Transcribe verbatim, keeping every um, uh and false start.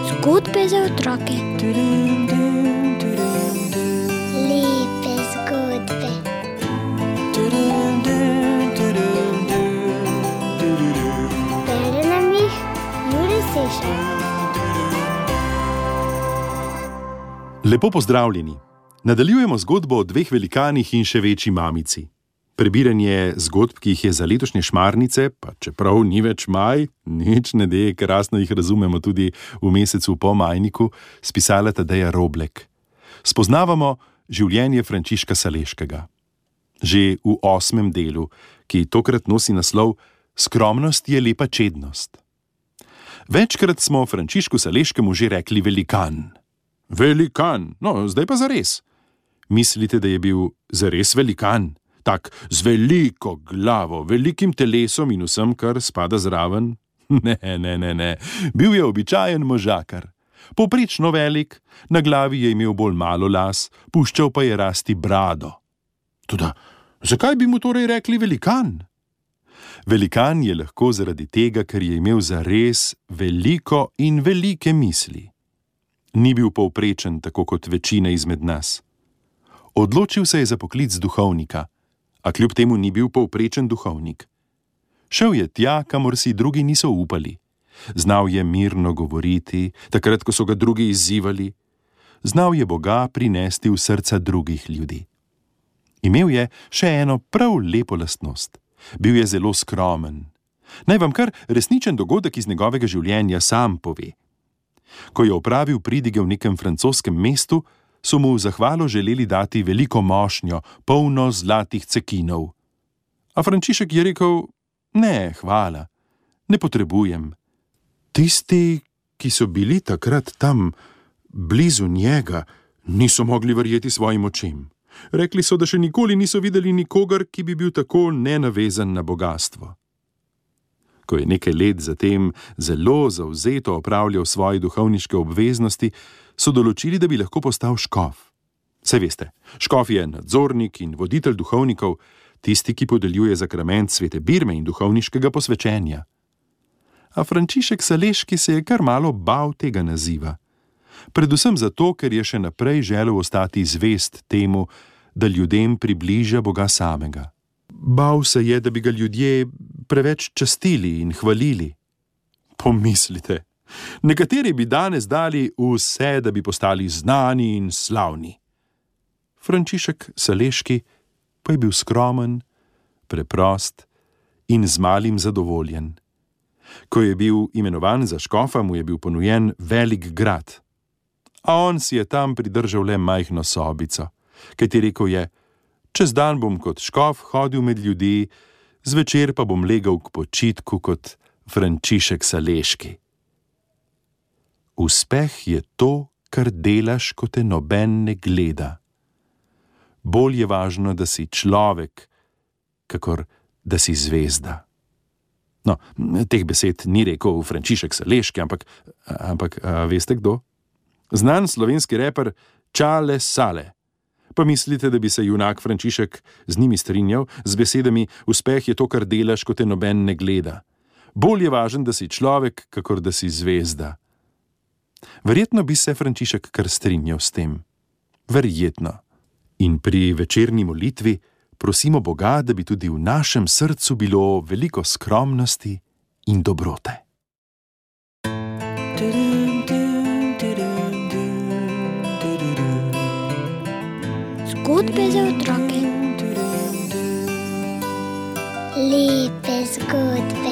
Zgodbe za otroke. Lepe zgodbe. Bere nam jih Jure Sešar. Lepo pozdravljeni. Nadaljujemo zgodbo o dveh velikanih in še večji mamici. Prebiranje zgodb, ki jih je za letošnje šmarnice, pa čeprav ni več maj, nič ne de, krasno jih razumemo tudi v mesecu po majniku, spisala Tadeja Roblek. Spoznavamo življenje Frančiška Saleškega. Že v osmem delu, ki tokrat nosi naslov Skromnost je lepa čednost. Večkrat smo Frančišku Saleškemu že rekli velikan. Velikan, no, zdaj pa zares. Mislite, da je bil zares velikan? Tak z veliko glavo, velikim telesom in vsem, kar spada zraven? Ne, ne, ne, ne. Bil je običajen možakar. Povprečno velik, na glavi je imel bolj malo las, puščal pa je rasti brado. Toda, zakaj bi mu torej rekli velikan? Velikan je lahko zaradi tega, ker je imel zares veliko in velike misli. Ni bil povprečen, tako kot večina izmed nas. Odločil se je za poklic duhovnika, a kljub temu ni bil povprečen duhovnik. Šel je tja, kamor si drugi niso upali. Znal je mirno govoriti, takrat, ko so ga drugi izzivali. Znal je Boga prinesti v srca drugih ljudi. Imel je še eno prav lepo lastnost. Bil je zelo skromen. Naj vam kar resničen dogodek iz njegovega življenja sam pove. Ko je opravil pridige v nekem francoskem mestu, so mu v zahvalo želeli dati veliko mošnjo, polno zlatih cekinov. A Frančišek je rekel, ne, hvala, ne potrebujem. Tisti, ki so bili takrat tam, blizu njega, niso mogli verjeti svojim očem. Rekli so, da še nikoli niso videli nikogar, ki bi bil tako nenavezan na bogastvo. Ko je nekaj let zatem zelo zavzeto opravljal svoje duhovniške obveznosti, so določili, da bi lahko postal škof. Saj veste, škof je nadzornik in voditelj duhovnikov, tisti, ki podeljuje zakrament svete birme in duhovniškega posvečenja. A Frančišek Saleški se je kar malo bal tega naziva. Predvsem zato, ker je še naprej želel ostati zvest temu, da ljudem približa Boga samega. Bal se je, da bi ga ljudje preveč častili in hvalili. Pomislite, nekateri bi danes dali vse, da bi postali znani in slavni. Frančišek Saleški pa je bil skromen, preprost in z malim zadovoljen. Ko je bil imenovan za škofa, mu je bil ponujen velik grad. A on si je tam pridržal le majhno sobico, kajti rekel je, čez dan bom kot škof hodil med ljudi, zvečer pa bom legel k počitku kot Frančišek Saleški. Uspeh je to, kar delaš, ko te noben ne gleda. Bolj je važno, da si človek, kakor da si zvezda. No, teh besed ni rekel Frančišek Saleški, ampak, ampak a veste kdo? Znan slovenski reper Čale Sale. Pa mislite, da bi se junak Frančišek z njimi strinjal, z besedami uspeh je to, kar delaš, ko te noben ne gleda. Bolj je važen, da si človek, kakor da si zvezda. Verjetno bi se Frančišek kar strinjal s tem. Verjetno. In pri večerni molitvi prosimo Boga, da bi tudi v našem srcu bilo veliko skromnosti in dobrote. Zgodbe za otroke. Lepe zgodbe.